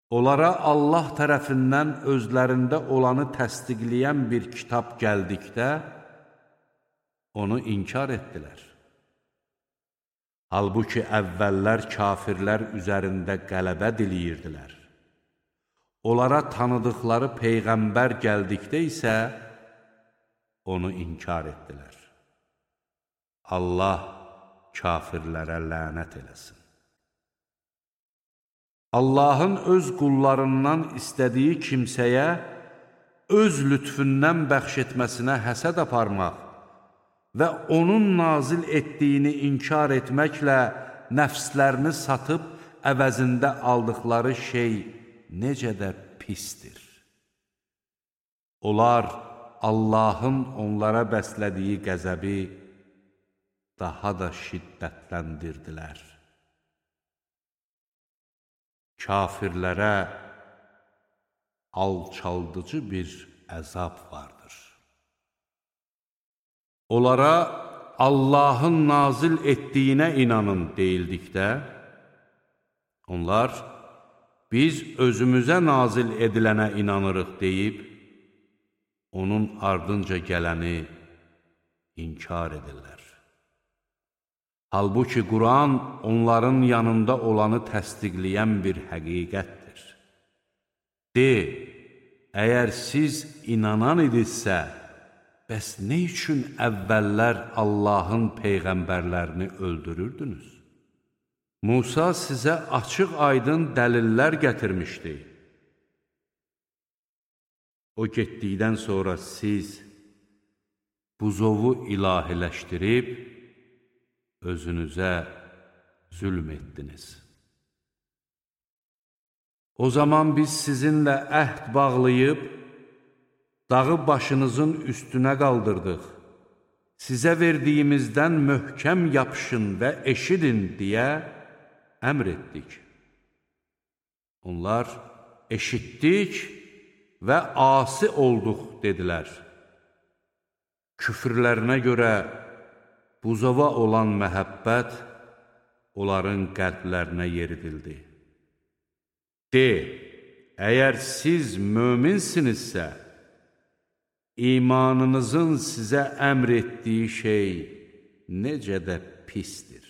Onlara Allah tərəfindən özlərində olanı təsdiqləyən bir kitab gəldikdə, onu inkar etdilər. Halbuki əvvəllər kafirlər üzərində qələbə diləyirdilər. Onlara tanıdıqları Peyğəmbər gəldikdə isə, onu inkar etdilər. Allah kafirlərə lənət eləsin. Allahın öz qullarından istədiyi kimsəyə öz lütfündən bəxş etməsinə həsəd aparmaq və onun nazil etdiyini inkar etməklə nəfslərini satıb əvəzində aldıqları şey necə də pisdir. Onlar Allahın onlara bəslədiyi qəzəbi daha da şiddətləndirdilər. Kafirlərə alçaldıcı bir əzab vardır. Onlara Allahın nazil etdiyinə inanın deyildikdə, onlar biz özümüzə nazil edilənə inanırıq deyib, onun ardınca gələni inkar edirlər. Halbuki Quran onların yanında olanı təsdiqləyən bir həqiqətdir. De, əgər siz inanan idinizsə, bəs nə üçün əvvəllər Allahın peyğəmbərlərini öldürürdünüz? Musa sizə açıq-aydın dəlillər gətirmişdi. O getdikdən sonra siz buzovu ilahiləşdirib, özünüzə zülm etdiniz. O zaman biz sizinlə əhd bağlayıb, dağı başınızın üstünə qaldırdıq. Sizə verdiyimizdən möhkəm yapışın və eşidin deyə əmr etdik. Onlar eşitdik və asi olduq dedilər. Küfrlərinə görə buzova olan məhəbbət onların qəlblərinə yeridildi. De, əgər siz möminsinizsə, imanınızın sizə əmr etdiyi şey necə də pisdir.